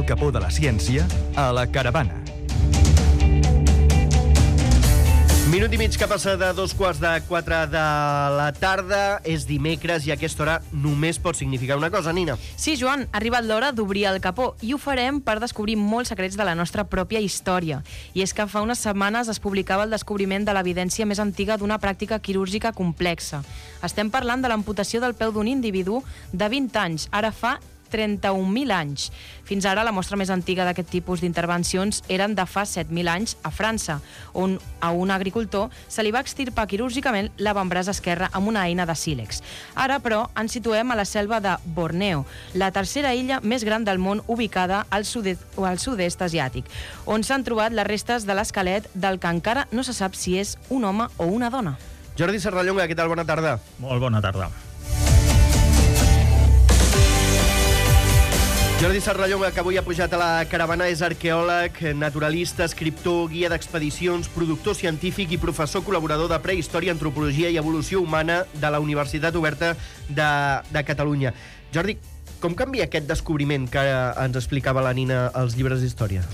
el capó de la ciència a La Caravana. Minut i mig que passa de 3:45 de la tarda. És dimecres i a aquesta hora només pot significar una cosa, Nina. Sí, Joan, ha arribat l'hora d'obrir el capó i ho farem per descobrir molts secrets de la nostra pròpia història. I és que fa unes setmanes es publicava el descobriment de l'evidència més antiga d'una pràctica quirúrgica complexa. Estem parlant de l'amputació del peu d'un individu de 20 anys, ara fa 31.000 anys. Fins ara, la mostra més antiga d'aquest tipus d'intervencions eren de fa 7.000 anys a França, on a un agricultor se li va extirpar quirúrgicament l'avantbraç esquerre amb una eina de sílex. Ara, però, ens situem a la selva de Borneo, la tercera illa més gran del món ubicada al sud-est asiàtic, on s'han trobat les restes de l'esquelet del que encara no se sap si és un home o una dona. Jordi Serrallonga, què tal? Bona tarda. Molt bona tarda. Jordi Serrallonga, que avui ha pujat a La Caravana, és arqueòleg, naturalista, escriptor, guia d'expedicions, productor científic i professor col·laborador de Prehistòria, Antropologia i Evolució Humana de la Universitat Oberta de Catalunya. Jordi, com canvia aquest descobriment que ens explicava la Nina als llibres d'història?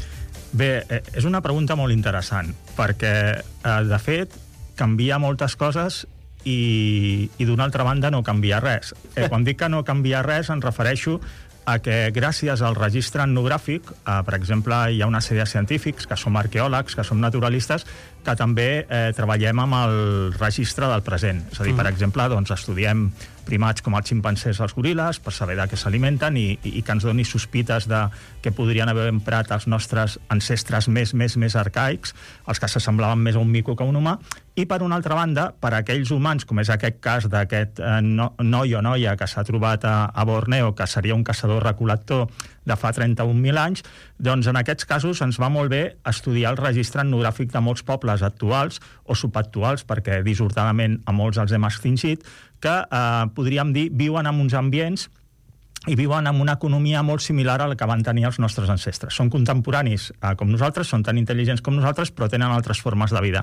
Bé, és una pregunta molt interessant, perquè, de fet, canvia moltes coses i d'una altra banda no canvia res. Quan dic que no canvia res, em refereixo a que gràcies al registre etnogràfic, per exemple, hi ha una sèrie de científics que som arqueòlegs, que som naturalistes, que també treballem amb el registre del present. És a dir, per exemple, doncs, estudiem primats com els ximpancers o els goril·les per saber de què s'alimenten i que ens doni sospites de què podrien haver emprat els nostres ancestres més arcaics, els que s'assemblaven més a un mico que a un humà. I, per una altra banda, per a aquells humans, com és aquest cas d'aquest noi o noia que s'ha trobat a Borneo, que seria un caçador-recol·lector de fa 31.000 anys, doncs en aquests casos ens va molt bé estudiar el registre etnogràfic de molts pobles actuals o subactuals, perquè dissortadament a molts els hem extingit, que podríem dir viuen en uns ambients i viuen amb una economia molt similar a la que van tenir els nostres ancestres. Són contemporanis com nosaltres, són tan intel·ligents com nosaltres, però tenen altres formes de vida.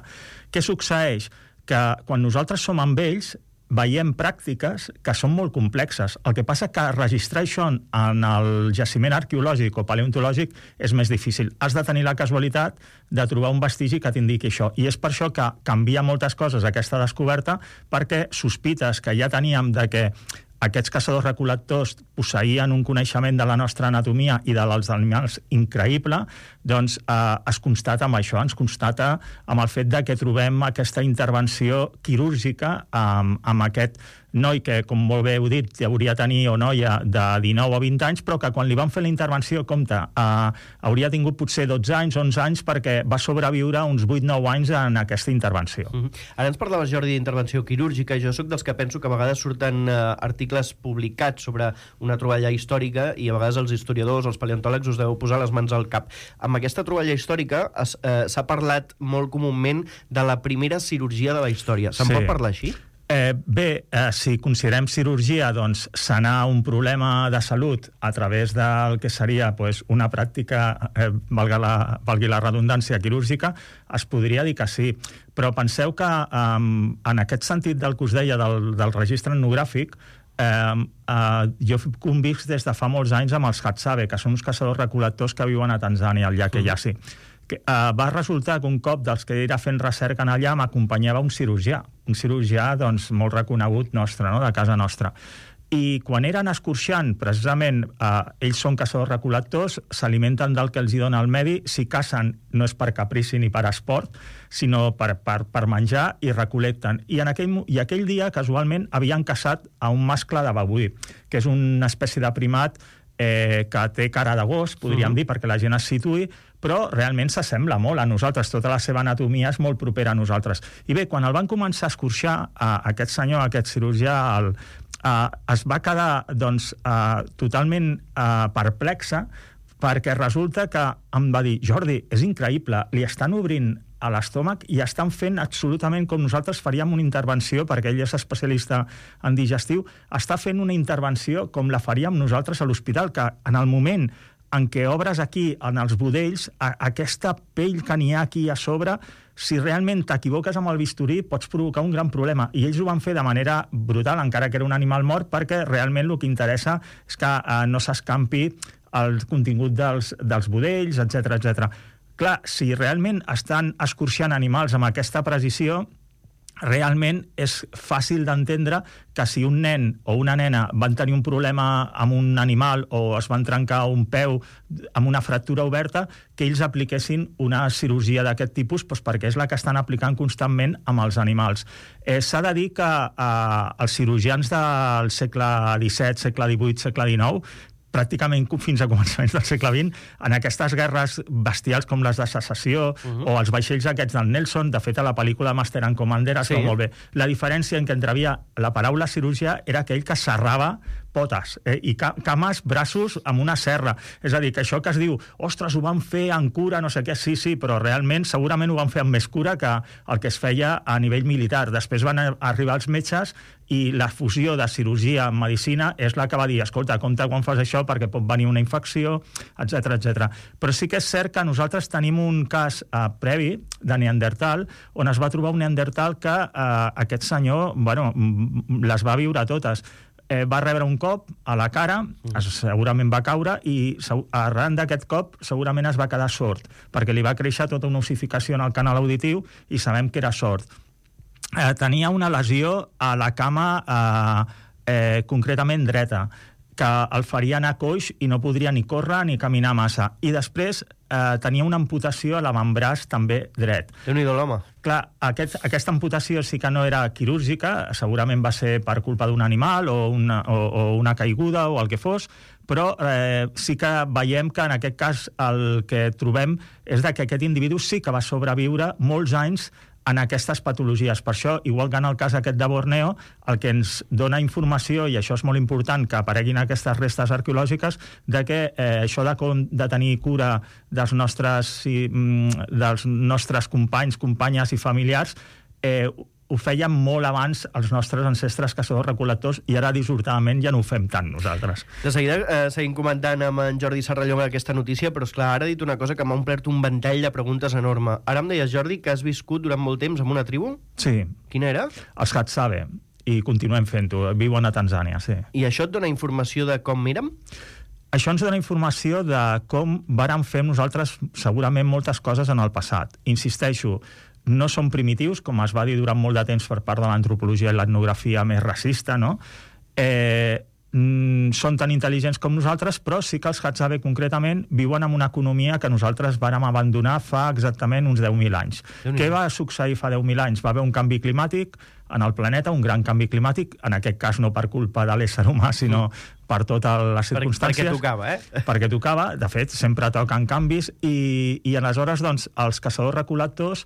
Què succeeix? Que quan nosaltres som amb ells veiem pràctiques que són molt complexes. El que passa que registrar això en el jaciment arqueològic o paleontològic és més difícil. Has de tenir la casualitat de trobar un vestigi que t'indiqui això. I és per això que canvia moltes coses aquesta descoberta, perquè sospites que ja teníem de que aquests caçadors-recol·lectors posseïen un coneixement de la nostra anatomia i dels animals increïble, doncs es constata amb això, ens constata amb el fet de que trobem aquesta intervenció quirúrgica amb aquest noi que, com molt bé heu dit, hauria de tenir o noia de 19 o 20 anys, però que quan li van fer la intervenció, compte, hauria tingut potser 12 anys, 11 anys, perquè va sobreviure uns 8-9 anys en aquesta intervenció. Ara ens parlaves, Jordi, d'intervenció quirúrgica. Jo sóc dels que penso que a vegades surten articles publicats sobre una troballa històrica i a vegades els historiadors, els paleontòlegs, us deveu posar les mans al cap. Amb aquesta troballa històrica s'ha parlat molt comúment de la primera cirurgia de la història. Se'n pot parlar així? Bé, si considerem cirurgia, doncs sanar un problema de salut a través del que seria una pràctica, valgui la redundància, quirúrgica, es podria dir que sí. Però penseu que en aquest sentit del que us deia del registre etnogràfic, jo convic des de fa molts anys amb els Hadzabe, que són uns caçadors-recol·lectors que viuen a Tanzània, al llac Eyasi. Va resultar que un cop dels que era fent recerca en allà m'acompanyava un cirurgià doncs, molt reconegut nostre, no? De casa nostra. I quan eren escorxant, precisament, ells són caçadors-recol·lectors, s'alimenten del que els hi dona el medi, si cacen no és per caprici ni per esport, sinó per menjar, i recol·lecten. I aquell dia, casualment, havien caçat a un mascle de babuí, que és una espècie de primat que té cara de gos, podríem dir, perquè la gent es situï, però realment s'assembla molt a nosaltres, tota la seva anatomia és molt propera a nosaltres. I bé, quan el van començar a escorxar, aquest senyor, aquest cirurgià, es va quedar totalment perplexa, perquè resulta que em va dir: Jordi, és increïble, li estan obrint a l'estómac i estan fent absolutament com nosaltres faríem una intervenció, perquè ell és especialista en digestiu, està fent una intervenció com la faríem nosaltres a l'hospital, que en el moment en què obres aquí, en els budells, aquesta pell que n'hi ha aquí a sobre, si realment t'equivoques amb el bisturí, pots provocar un gran problema. I ells ho van fer de manera brutal, encara que era un animal mort, perquè realment el que interessa és que no s'escampi el contingut dels budells, etc. Clar, si realment estan escorxant animals amb aquesta precisió, realment és fàcil d'entendre que si un nen o una nena van tenir un problema amb un animal o es van trencar un peu amb una fractura oberta, que ells apliquessin una cirurgia d'aquest tipus, doncs perquè és la que estan aplicant constantment amb els animals. S'ha de dir que els cirurgians del segle XVII, segle XVIII, segle XIX, pràcticament fins a començaments del segle XX, en aquestes guerres bestials com les de secessió o els vaixells aquests del Nelson, de fet a la pel·lícula Master and Commander es veu molt bé. La diferència en què entrevia la paraula cirurgià era aquell que serrava potes i cames, braços amb una serra. És a dir, que això que es diu, ostres, ho van fer amb cura, no sé què, sí, però realment segurament ho van fer amb més cura que el que es feia a nivell militar. Després van arribar els metges i la fusió de cirurgia amb medicina és la que va dir, escolta, compte quan fas això perquè pot venir una infecció, etc. Però sí que és cert que nosaltres tenim un cas previ de Neandertal on es va trobar un Neandertal que aquest senyor, les va viure totes. Va rebre un cop a la cara, segurament va caure i arran d'aquest cop segurament es va quedar sord, perquè li va créixer tota una ossificació en el canal auditiu i sabem que era sord. Tenia una lesió a la cama concretament dreta, que el faria anar coix i no podria ni córrer ni caminar massa. I després tenia una amputació a l'avantbraç també dret. Déu-n'hi-do l'home. Clar, aquesta amputació sí que no era quirúrgica, segurament va ser per culpa d'un animal o una caiguda o el que fos, però sí que veiem que en aquest cas el que trobem és que aquest individu sí que va sobreviure molts anys en aquestes patologies. Per això, igual que en el cas aquest de Borneo, el que ens dona informació, i això és molt important que apareguin aquestes restes arqueològiques, de que això de tenir cura dels nostres companys, companyes i familiars, ho fèiem molt abans els nostres ancestres caçadors-recol·lectors i ara dissortadament ja no ho fem tant nosaltres. De seguida seguim comentant amb en Jordi Serrallonga aquesta notícia, però esclar, ara ha dit una cosa que m'ha omplert un ventall de preguntes enorme. Ara em deies, Jordi, que has viscut durant molt temps amb una tribu? Sí. Quina era? Els Hadzabe, i continuem fent-ho. Viuen a Tanzània, sí. I això et dona informació de com érem? Això ens dona informació de com vàrem fer nosaltres segurament moltes coses en el passat. Insisteixo, no són primitius, com es va dir durant molt de temps per part de l'antropologia i l'etnografia més racista, no? Són tan intel·ligents com nosaltres, però sí que els Hadzabe concretament viuen en una economia que nosaltres vàrem abandonar fa exactament uns 10.000 anys. Què va succeir fa 10.000 anys? Va haver un canvi climàtic en el planeta, un gran canvi climàtic, en aquest cas no per culpa de l'ésser humà, sinó per totes les circumstàncies. Perquè tocava, Perquè tocava, de fet, sempre toquen canvis, i aleshores, doncs, els caçadors-recol·lectors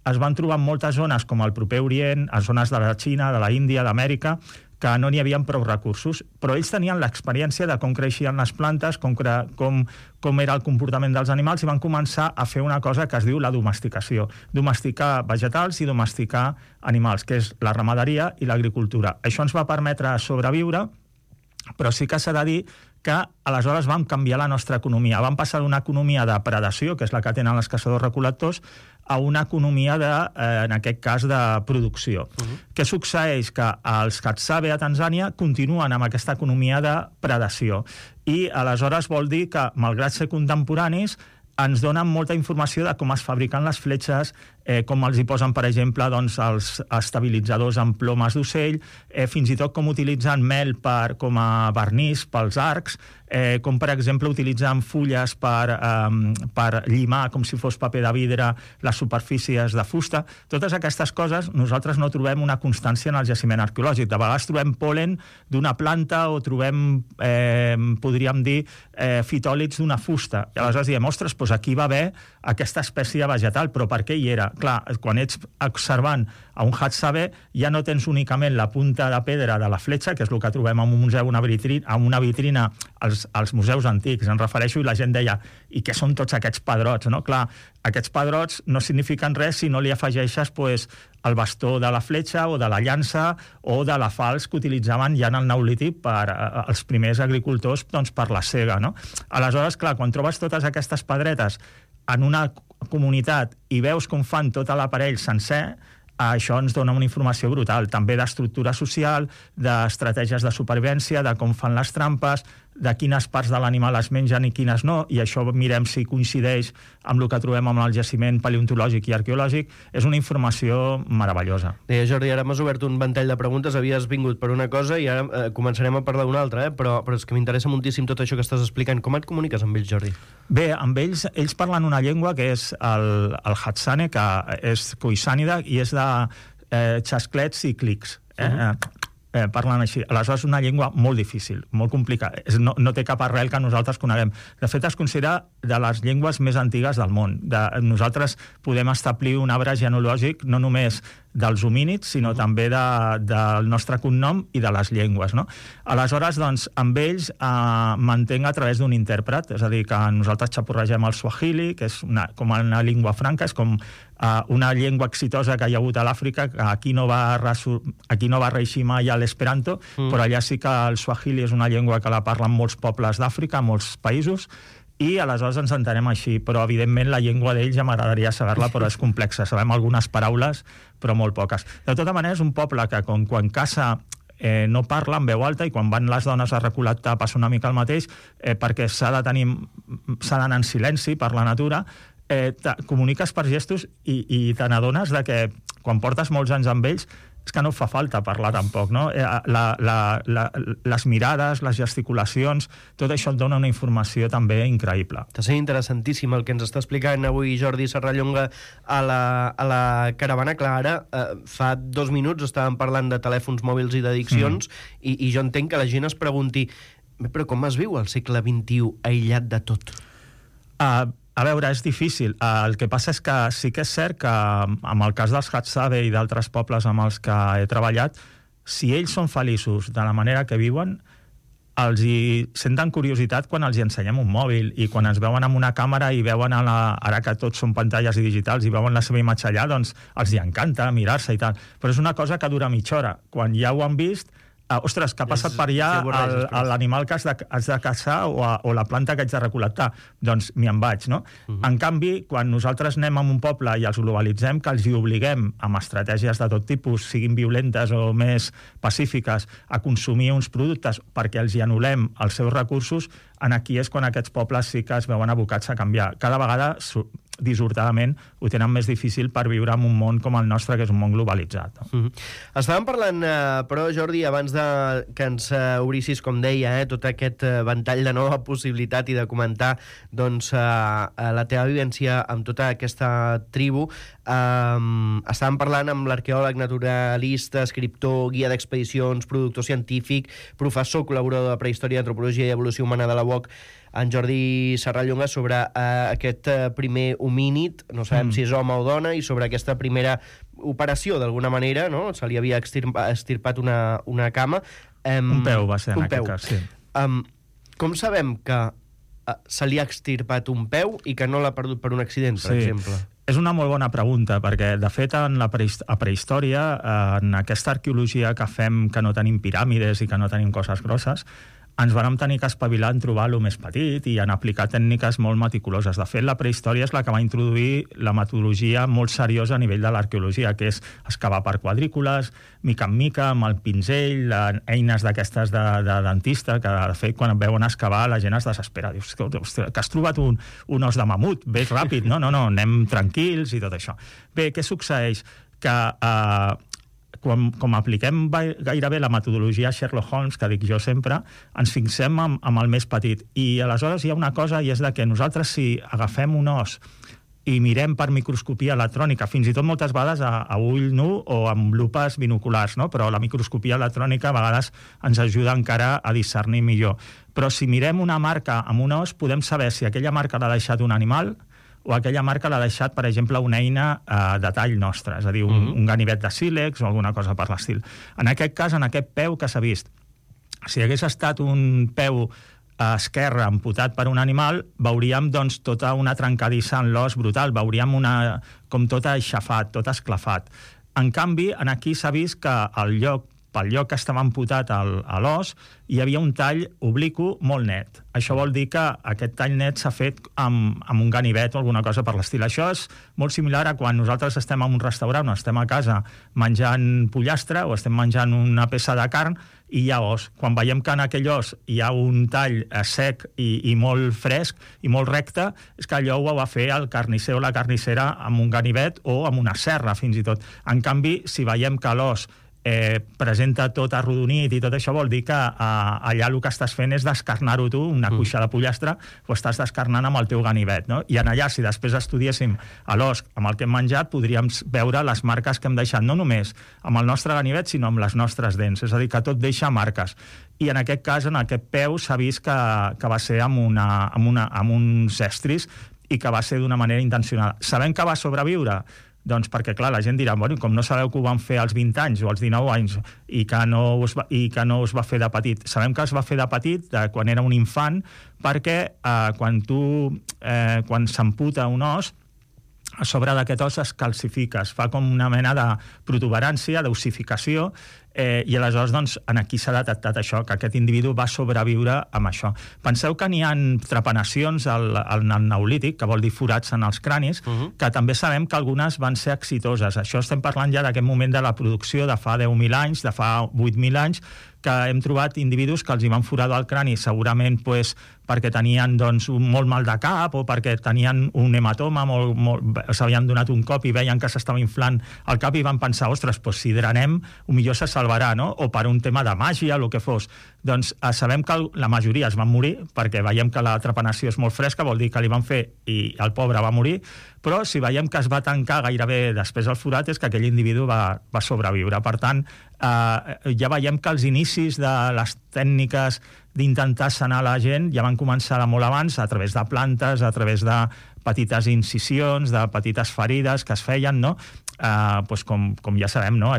es van trobar en moltes zones, com el proper Orient, a zones de la Xina, de la Índia, d'Amèrica, que no n'hi havia prou recursos, però ells tenien l'experiència de com creixien les plantes, com era el comportament dels animals, i van començar a fer una cosa que es diu la domesticació. Domesticar vegetals i domesticar animals, que és la ramaderia i l'agricultura. Això ens va permetre sobreviure, però sí que s'ha de dir que aleshores vam canviar la nostra economia. Vam passar d'una economia de predació, que és la que tenen els caçadors-recol·lectors, a una economia, en aquest cas, de producció. Què succeeix? Que els Hadzabe a Tanzània continuen amb aquesta economia de predació. I aleshores vol dir que, malgrat ser contemporanis, ens donen molta informació de com es fabriquen les fletxes, com els hi posen, per exemple, doncs, els estabilitzadors amb plomes d'ocell, fins i tot com utilitzen mel com a vernís pels arcs, com, per exemple, utilitzen fulles per llimar, com si fos paper de vidre, les superfícies de fusta. Totes aquestes coses nosaltres no trobem una constància en el jaciment arqueològic. De vegades trobem pol·len d'una planta o trobem, podríem dir, fitòlits d'una fusta. I aleshores diem, ostres, doncs aquí va haver aquesta espècie vegetal, però per què hi era? Clar, quan ets observant a un Hadzabe ja no tens únicament la punta de pedra de la fletxa, que és el que trobem en un museu, en una vitrina als museus antics, em refereixo, i la gent deia, i què són tots aquests pedrots? No? Clar, aquests pedrots no signifiquen res si no li afegeixes el bastó de la fletxa o de la llança o de la falç que utilitzaven ja en el Neolític els primers agricultors per la sega. No? Aleshores, clar, quan trobes totes aquestes pedretes en una comunitat i veus com fan tot l'aparell sencer, això ens dona una informació brutal, també d'estructura social, d'estratègies de supervivència, de com fan les trampes, de quines parts de l'animal es mengen i quines no, i això mirem si coincideix amb el que trobem amb el jaciment paleontològic i arqueològic. És una informació meravellosa. Deia, Jordi, ara m'has obert un ventall de preguntes, havies vingut per una cosa i ara començarem a parlar d'una altra, però és que m'interessa moltíssim tot això que estàs explicant. Com et comuniques amb ells, Jordi? Bé, amb ells parlen una llengua que és el Hatsane, que és coisànida i és de xasclets i clics. Parlen així. Aleshores, és una llengua molt difícil, molt complicada. No té cap arrel que nosaltres coneguem. De fet, es considera de les llengües més antigues del món. Nosaltres podem establir un arbre genealògic no només dels homínids, sinó també del nostre cognom i de les llengües, no? Aleshores, doncs, amb ells mantenc a través d'un intèrpret, és a dir, que nosaltres xaporregem el swahili, que és com una llengua franca, és com una llengua exitosa que hi ha hagut a l'Àfrica, que aquí no va reeixir mai a l'esperanto, però allà sí que el swahili és una llengua que la parlen molts pobles d'Àfrica, molts països, i aleshores ens entenem així, però evidentment la llengua d'ells ja m'agradaria saber-la, però és complexa, sabem algunes paraules, però molt poques. De tota manera, és un poble que quan caça no parla en veu alta, i quan van les dones a recol·lectar passa una mica el mateix, perquè s'ha d'anar en silenci per la natura, comuniques per gestos i te n'adones que quan portes molts anys amb ells és que no fa falta parlar tampoc, no? Les mirades, les gesticulacions, tot això et dona una informació també increïble. Està sent interessantíssim el que ens està explicant avui Jordi Serrallonga a la caravana. Clar, ara fa 2 minuts estàvem parlant de telèfons mòbils i d'addiccions i jo entenc que la gent es pregunti però com es viu al segle XXI aïllat de tot? A veure, és difícil. El que passa és que sí que és cert que amb el cas dels Hadzabe i d'altres pobles amb els que he treballat, si ells són feliços de la manera que viuen, els hi senten curiositat quan els hi ensenyem un mòbil i quan ens veuen amb una càmera i veuen, ara que tots són pantalles digitals, i veuen la seva imatge allà, doncs els hi encanta mirar-se i tal. Però és una cosa que dura mitja hora. Quan ja ho han vist, ostres, que ha passat per allà l'animal que has de caçar o la planta que haig de recol·lectar, doncs m'hi en vaig, no? En canvi, quan nosaltres anem a un poble i els globalitzem, que els hi obliguem amb estratègies de tot tipus, siguin violentes o més pacífiques, a consumir uns productes perquè els hi anul·lem els seus recursos, aquí és quan aquests pobles sí que es veuen abocats a canviar. Cada vegada dissortadament ho tenen més difícil per viure en un món com el nostre, que és un món globalitzat. Estàvem parlant, però, Jordi, abans que ens obrissis, com deia, tot aquest ventall de nova possibilitat i de comentar doncs, la teva vivència amb tota aquesta tribu. Estàvem parlant amb l'arqueòleg, naturalista, escriptor, guia d'expedicions, productor científic, professor, col·laborador de prehistòria, antropologia i evolució humana de la UOC, en Jordi Serrallonga, sobre aquest primer homínid, no sabem si és home o dona, i sobre aquesta primera operació, d'alguna manera, no? Se li havia extirpat una cama. Un peu va ser en aquest cas, sí. Com sabem que se li ha extirpat un peu i que no l'ha perdut per un accident, per exemple? És una molt bona pregunta, perquè, de fet, a prehistòria, en aquesta arqueologia que fem, que no tenim piràmides i que no tenim coses grosses, ens vam tenir que espavilar en trobar el més petit i en aplicar tècniques molt meticuloses. De fet, la prehistòria és la que va introduir la metodologia molt seriosa a nivell de l'arqueologia, que és excavar per quadrícules, mica en mica, amb el pinzell, eines d'aquestes de dentista, que, de fet, quan veuen excavar, la gent es desespera. Dius, que has trobat un os de mamut, ves ràpid. No, anem tranquils i tot això. Bé, què succeeix? Que com apliquem gairebé la metodologia Sherlock Holmes, que dic jo sempre, ens fixem amb el més petit. I aleshores hi ha una cosa, i és que nosaltres, si agafem un os i mirem per microscopia electrònica, fins i tot moltes vegades a ull nu o amb lupes binoculars, no? Però la microscopia electrònica a vegades ens ajuda encara a discernir millor. Però si mirem una marca amb un os, podem saber si aquella marca l'ha deixat un animal o aquella marca l'ha deixat, per exemple, una eina de tall nostre, és a dir, un ganivet de sílex o alguna cosa per l'estil. En aquest cas, en aquest peu que s'ha vist, si hagués estat un peu esquerre amputat per un animal, veuríem doncs, tota una trencadissa en l'os brutal, veuríem com tot aixafat, tot esclafat. En canvi, aquí s'ha vist que el lloc pel lloc que estava amputat a l'os, hi havia un tall obliqu molt net. Això vol dir que aquest tall net s'ha fet amb un ganivet o alguna cosa per l'estil. Això és molt similar a quan nosaltres estem en un restaurant o estem a casa menjant pollastre o estem menjant una peça de carn i hi ha os. Quan veiem que en aquell os hi ha un tall sec i molt fresc i molt recte, és que allò ho va fer el carnisser o la carnissera amb un ganivet o amb una serra, fins i tot. En canvi, si veiem que l'os presenta tot arrodonit i tot això, vol dir que allà el que estàs fent és descarnar-ho tu, una cuixa de pollastre, ho estàs descarnant amb el teu ganivet, no? I en allà, si després estudiéssim l'os amb el que hem menjat, podríem veure les marques que hem deixat, no només amb el nostre ganivet, sinó amb les nostres dents, és a dir, que tot deixa marques. I en aquest cas, en aquest peu, s'ha vist que va ser amb uns estris i que va ser d'una manera intencionada. Sabem que va sobreviure? Doncs perquè, clar, la gent dirà, bueno, com no sabeu que ho van fer als 20 anys o als 19 anys i que no es va fer de petit. Sabem que es va fer de petit, quan era un infant, perquè quan s'amputa un os, a sobre d'aquest os es calcifica, es fa com una mena de protuberància, d'ossificació, i aleshores doncs, aquí s'ha detectat això, que aquest individu va sobreviure amb això. Penseu que n'hi ha trepanacions al neolític, que vol dir forats en els cranis, que també sabem que algunes van ser exitoses. Això estem parlant ja d'aquest moment de la producció de fa 10.000 anys, de fa 8.000 anys, que hem trobat individus que els hi van forar el crani, segurament perquè tenien molt mal de cap o perquè tenien un hematoma, s'havien donat un cop i veien que s'estava inflant el cap i van pensar, ostres, si drenem, millor se salvarà, no? O per un tema de màgia, el que fos. Doncs sabem que la majoria es van morir, perquè veiem que la trepanació és molt fresca, vol dir que li van fer i el pobre va morir, però si veiem que es va tancar gairebé després el forat és que aquell individu va sobreviure. Per tant, ja veiem que els inicis de les tècniques d'intentar sanar la gent ja van començar de molt abans, a través de plantes, a través de petites incisions, de petites ferides que es feien, no? Com ja sabem, no?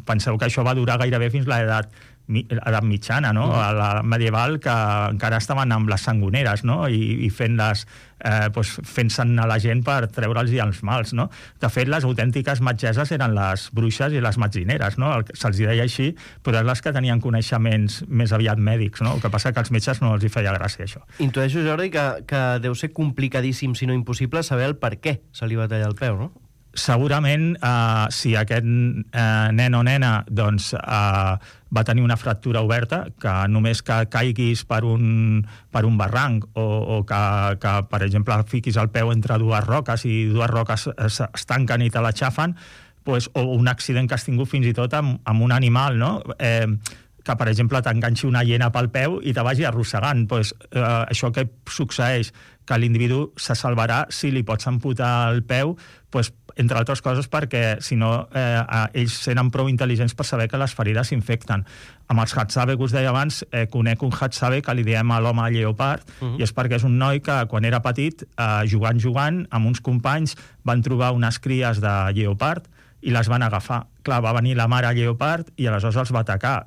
Penseu que això va durar gairebé fins l'edat mitjana, no? A la medieval, que encara estaven amb les sangoneres, no? I fent-se'n a la gent per treure'ls els mals, no? De fet, les autèntiques metgesses eren les bruixes i les metzineres, no? Se'ls deia així, però eren les que tenien coneixements més aviat mèdics, no? El que passa que als metges no els hi feia gràcia, això. Intueixo, Jordi, que deu ser complicadíssim, si no impossible, saber el per què se li va tallar el peu, no? Segurament, si aquest nen o nena va tenir una fractura oberta, que només que caiguis per un barranc o que, per exemple, fiquis el peu entre dues roques i dues roques es tanquen i te l'aixafen, o un accident que has tingut fins i tot amb un animal, no? Que, per exemple, t'enganxi una hiena pel peu i te vagi arrossegant. Això que succeeix, que l'individu se salvarà si li pots amputar el peu, entre altres coses perquè, si no, ells seren prou intel·ligents per saber que les ferides s'infecten. Amb els Hadzabe que us deia abans, conec un Hadzabe que li diem a l'home lleopard, i és perquè és un noi que, quan era petit, jugant, amb uns companys, van trobar unes cries de lleopard i les van agafar. Clar, va venir la mare lleopard i aleshores els va atacar.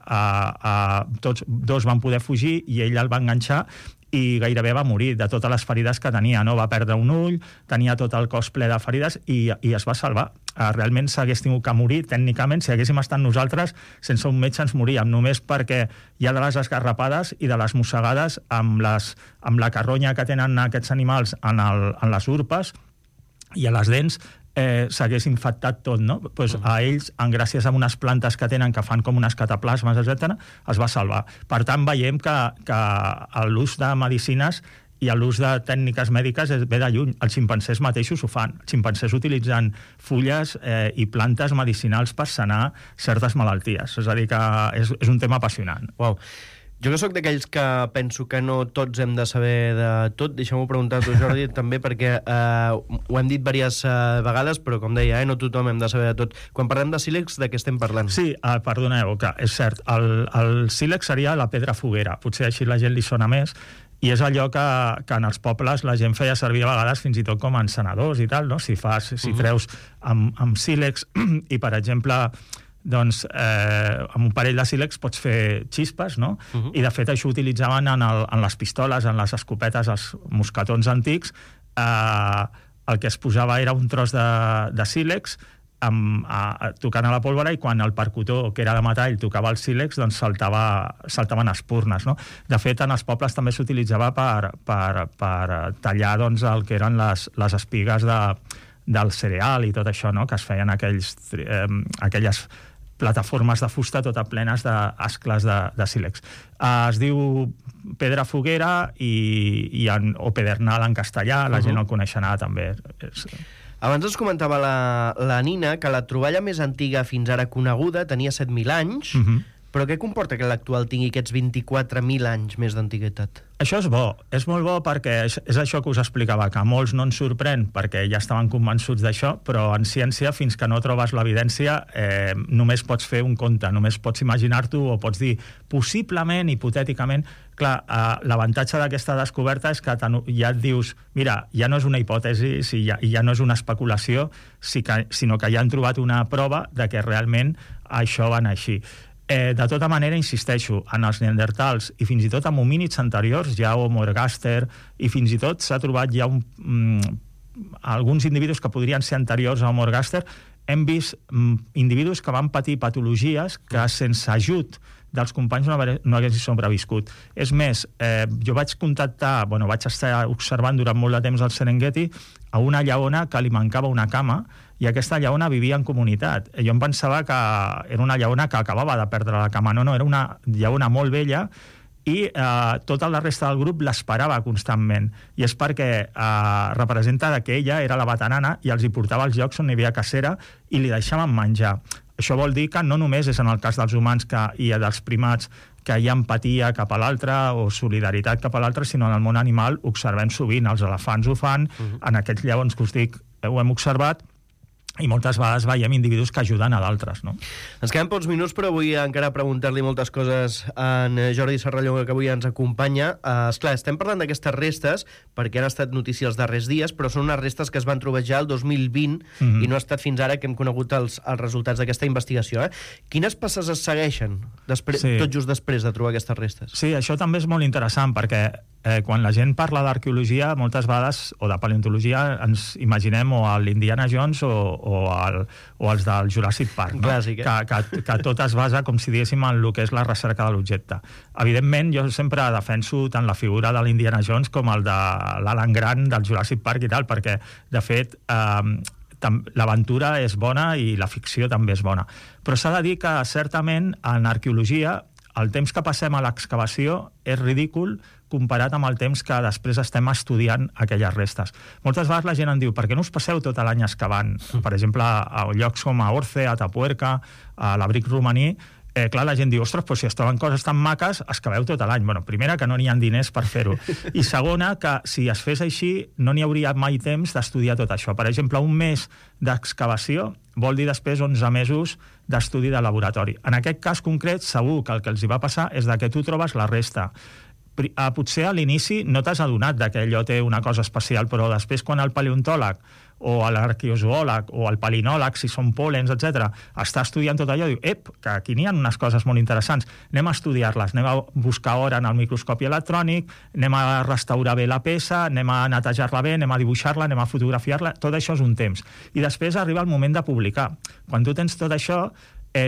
Tots dos van poder fugir i ell el va enganxar i gairebé va morir de totes les ferides que tenia, no? Va perdre un ull, tenia tot el cos ple de ferides i es va salvar. Realment s'hagués tingut que morir, tècnicament, si haguéssim estat nosaltres, sense un metge ens moríem, només perquè hi ha de les esgarrapades i de les mossegades amb la carronya que tenen aquests animals en les urpes i a les dents, s'hagués infectat tot, no? A ells, gràcies a unes plantes que tenen que fan com unes cataplasmes, etc., es va salvar. Per tant, veiem que l'ús de medicines i l'ús de tècniques mèdiques ve de lluny. Els ximpancers mateixos ho fan. Els ximpancers utilitzen fulles i plantes medicinals per sanar certes malalties. És a dir, que és un tema apassionant. Uau. Jo que sóc d'aquells que penso que no tots hem de saber de tot, deixa'm-ho preguntar a tu, Jordi, també, perquè ho hem dit diverses vegades, però com deia, no tothom hem de saber de tot. Quan parlem de sílex, de què estem parlant? Sí, perdoneu, que és cert, el sílex seria la pedra foguera, potser així la gent li sona més, i és allò que en els pobles la gent feia servir a vegades fins i tot com a encenedors i tal, no? Si treus amb sílex i, per exemple, doncs amb un parell de sílex pots fer xispes, no? I de fet això utilitzaven en les pistoles, en les escopetes, els mosquetons antics. El que es posava era un tros de sílex tocant a la pólvora, i quan el percutor, que era de metall, tocava el sílex, doncs saltaven espurnes, no? De fet, en els pobles també s'utilitzava per tallar doncs, el que eren les espigues del cereal i tot això, no? Que es feien aquelles plataformes de fusta tota plenes d'ascles de sílex. Es diu pedra foguera o pedernal en castellà, la gent el coneixerà també. Abans ens comentava la Nina que la troballa més antiga fins ara coneguda tenia 7.000 anys, però què comporta que l'actual tingui aquests 24.000 anys més d'antiguitat? Això és bo, és molt bo perquè és això que us explicava, que a molts no ens sorprèn perquè ja estaven convençuts d'això, però en ciència, fins que no trobes l'evidència, només pots fer un conte, només pots imaginar-t'ho o pots dir, possiblement, hipotèticament. Clar, l'avantatge d'aquesta descoberta és que ja et dius, mira, ja no és una hipòtesi, ja no és una especulació, sinó que ja han trobat una prova de que realment això va anar així. De tota manera, insisteixo, en els neandertals i fins i tot en homínids anteriors, ja Homo ergaster, i fins i tot s'ha trobat ja alguns individus que podrien ser anteriors a Homo ergaster, hem vist individus que van patir patologies que sense ajut dels companys no haguessin sobreviscut. És més, jo vaig estar observant durant molt de temps al Serengeti a una lleona que li mancava una cama, i aquesta lleona vivia en comunitat. Jo em pensava que era una lleona que acabava de perdre la cama. No, era una lleona molt vella, i tota la resta del grup l'esperava constantment. I és perquè representa que ella era la veterana i els hi portava als llocs on hi havia cacera i li deixaven menjar. Això vol dir que no només és en el cas dels humans i dels primats que hi ha empatia cap a l'altre o solidaritat cap a l'altre, sinó en el món animal ho observem sovint. Els elefants ho fan, en aquests lleons que us dic ho hem observat, i moltes vegades veiem individus que ajuden a d'altres, no? Ens queden pocs minuts, però vull encara preguntar-li moltes coses a en Jordi Serrallonga, que avui ens acompanya. Esclar, estem parlant d'aquestes restes perquè han estat notícia els darrers dies, però són unes restes que es van trobar ja el 2020 i no ha estat fins ara que hem conegut els resultats d'aquesta investigació. Quines passes es segueixen tot just després de trobar aquestes restes? Sí, això també és molt interessant, perquè quan la gent parla d'arqueologia, moltes vegades, o de paleontologia, ens imaginem o a l'Indiana Jones o els del Jurassic Park, no? Clàssic, que tot es basa, com si diguéssim, en el que és la recerca de l'objecte. Evidentment, jo sempre defenso tant la figura de l'Indiana Jones com el de l'Alan Grant del Jurassic Park i tal, perquè, de fet, l'aventura és bona i la ficció també és bona. Però s'ha de dir que, certament, en arqueologia, el temps que passem a l'excavació és ridícul comparat amb el temps que després estem estudiant aquelles restes. Moltes vegades la gent em diu, per què no us passeu tot l'any excavant? Per exemple, a llocs com a Orce, a Atapuerca, a l'Abric romaní, clar, la gent diu, ostres, però si es troben coses tan maques, excaveu tot l'any. Bueno, primera, que no n'hi ha diners per fer-ho. I segona, que si es fes així, no n'hi hauria mai temps d'estudiar tot això. Per exemple, un mes d'excavació vol dir després 11 mesos d'estudi de laboratori. En aquest cas concret, segur que el que els hi va passar és que tu trobes la resta. Potser a l'inici no t'has adonat que allò té una cosa especial, però després quan el paleontòleg o l'arqueozoòleg o el palinòleg, si són pòlens, etc., està estudiant tot allò, diu, que aquí n'hi ha unes coses molt interessants, anem a estudiar-les, anem a buscar hora en el microscopi electrònic, anem a restaurar bé la peça, anem a netejar-la bé, anem a dibuixar-la, anem a fotografiar-la, tot això és un temps. I després arriba el moment de publicar. Quan tu tens tot això,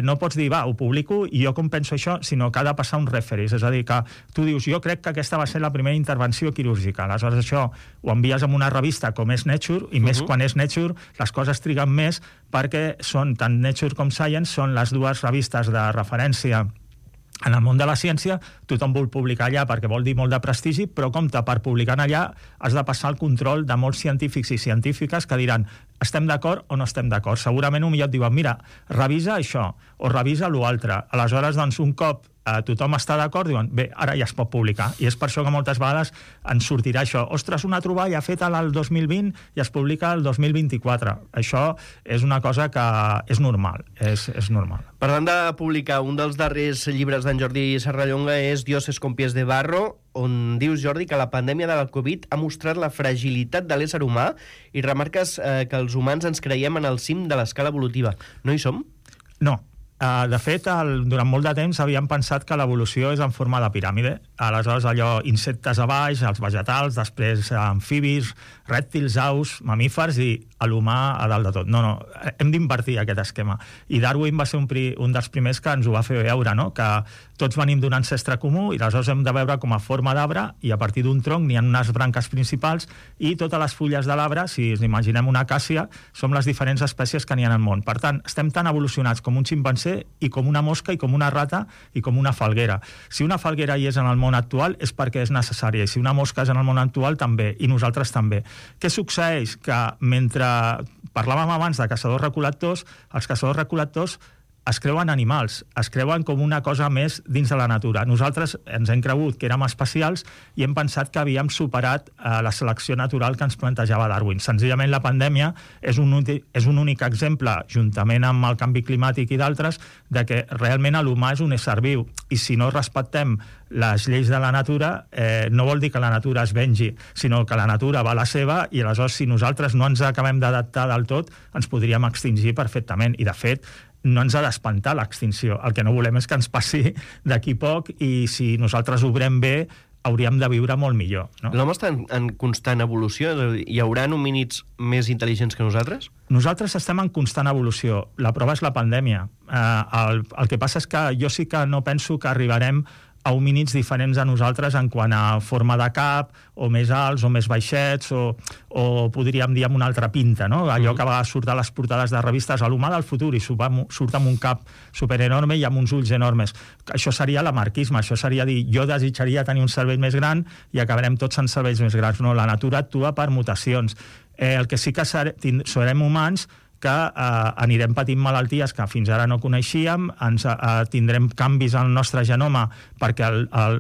no pots dir, ho publico i jo com penso això, sinó que ha de passar un referís. És a dir, que tu dius, jo crec que aquesta va ser la primera intervenció quirúrgica. Aleshores això ho envies a una revista com és Nature, i més quan és Nature, les coses triguen més perquè són, tant Nature com Science, són les dues revistes de referència en el món de la ciència. Tothom vol publicar allà perquè vol dir molt de prestigi, però compte, per publicar allà has de passar el control de molts científics i científiques que diran, estem d'acord o no estem d'acord. Segurament millor et diuen, mira, revisa això o revisa l'altre. Aleshores, doncs, un cop tothom està d'acord, diuen, bé, ara ja es pot publicar. I és per això que moltes vegades ens sortirà això. Ostres, una troballa feta el 2020 i es publica el 2024. Això és una cosa que és normal. És normal. Parlant de publicar, un dels darrers llibres d'en Jordi Serrallonga és Dioses con pies de barro, on dius, Jordi, que la pandèmia de la Covid ha mostrat la fragilitat de l'ésser humà i remarques que els humans ens creiem en el cim de l'escala evolutiva. No hi som? No. De fet, durant molt de temps havíem pensat que l'evolució és en forma de piràmide. aleshores allò, insectes a baix, els vegetals, després amfibis, rèptils, aus, mamífers i l'humà a dalt de tot. No, hem d'invertir aquest esquema. I Darwin va ser un dels primers que ens ho va fer veure, no? Que tots venim d'un ancestre comú i aleshores hem de veure com a forma d'arbre i a partir d'un tronc n'hi ha unes branques principals i totes les fulles de l'arbre, si ens imaginem una acàcia, són les diferents espècies que n'hi ha al món. Per tant, estem tan evolucionats com un ximpanzé i com una mosca i com una rata i com una falguera. Si una falguera hi és en el món actual és perquè és necessària i si una mosca és en el món actual també, i nosaltres també. Què succeeix? Que mentre parlàvem abans de caçadors-recol·lectors, els caçadors-recol·lectors es creuen animals, es creuen com una cosa més dins de la natura. Nosaltres ens hem cregut que érem especials i hem pensat que havíem superat la selecció natural que ens plantejava Darwin. Senzillament la pandèmia és un únic exemple, juntament amb el canvi climàtic i d'altres, de que realment l'humà és un ésser viu i si no respectem les lleis de la natura, no vol dir que la natura es vengi, sinó que la natura va a la seva i aleshores si nosaltres no ens acabem d'adaptar del tot, ens podríem extingir perfectament. I de fet, no ens ha d'espantar l'extinció. El que no volem és que ens passi d'aquí poc i si nosaltres obrem bé hauríem de viure molt millor. No? L'home està en constant evolució? Hi haurà homínids més intel·ligents que nosaltres? Nosaltres estem en constant evolució. La prova és la pandèmia. El que passa és que jo sí que no penso que arribarem a homínids diferents a nosaltres en quant a forma de cap, o més alts, o més baixets, o podríem dir amb una altra pinta, no? Allò que a vegades surt a les portades de revistes, l'humà del futur, i surt amb un cap superenorme i amb uns ulls enormes. Això seria l'amarquisme, això seria dir, jo desitjaria tenir un cervell més gran i acabarem tots en cervells més grans. No, la natura actua per mutacions. El que sí que serem humans que anirem patint malalties que fins ara no coneixíem, tindrem canvis al nostre genoma perquè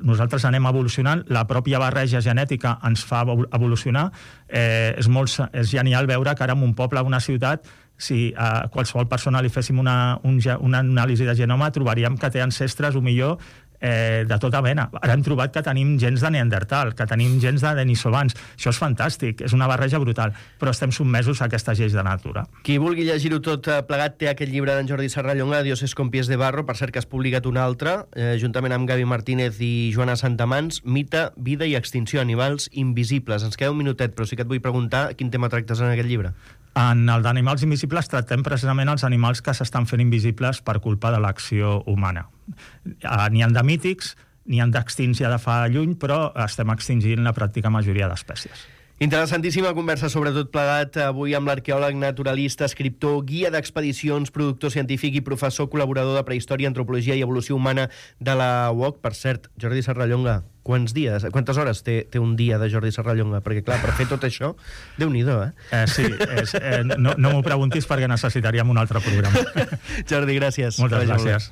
nosaltres anem evolucionant, la pròpia barreja genètica ens fa evolucionar. És genial veure que ara en un poble o una ciutat, si a qualsevol persona li féssim una anàlisi de genoma, trobaríem que té ancestres, o millor, de tota mena. Ara hem trobat que tenim gens de Neandertal, que tenim gens de denisovans. Això és fantàstic, és una barreja brutal, però estem sotmesos a aquestes lleis de natura. Qui vulgui llegir-ho tot plegat té aquest llibre d'en Jordi Serrallonga, Dioses con pies de barro, per cert que has publicat un altre, juntament amb Gavi Martínez i Joana Santamans, Mite, vida i extinció, animals invisibles. Ens queda un minutet, però sí que et vull preguntar quin tema tractes en aquest llibre. En el d'animals invisibles tractem precisament els animals que s'estan fent invisibles per culpa de l'acció humana. N'hi ha de mítics, n'hi ha d'extints ja de fa lluny, però estem extingint la pràctica majoria d'espècies. Interessantíssima conversa, sobretot plegat avui amb l'arqueòleg, naturalista, escriptor, guia d'expedicions, productor científic i professor col·laborador de Prehistòria, Antropologia i Evolució Humana de la UOC. Per cert, Jordi Serrallonga, quantes hores té un dia de Jordi Serrallonga? Perquè, clar, per fer tot això, Déu-n'hi-do, Sí, no m'ho preguntis perquè necessitaríem un altre programa. Jordi, gràcies. Moltes gràcies.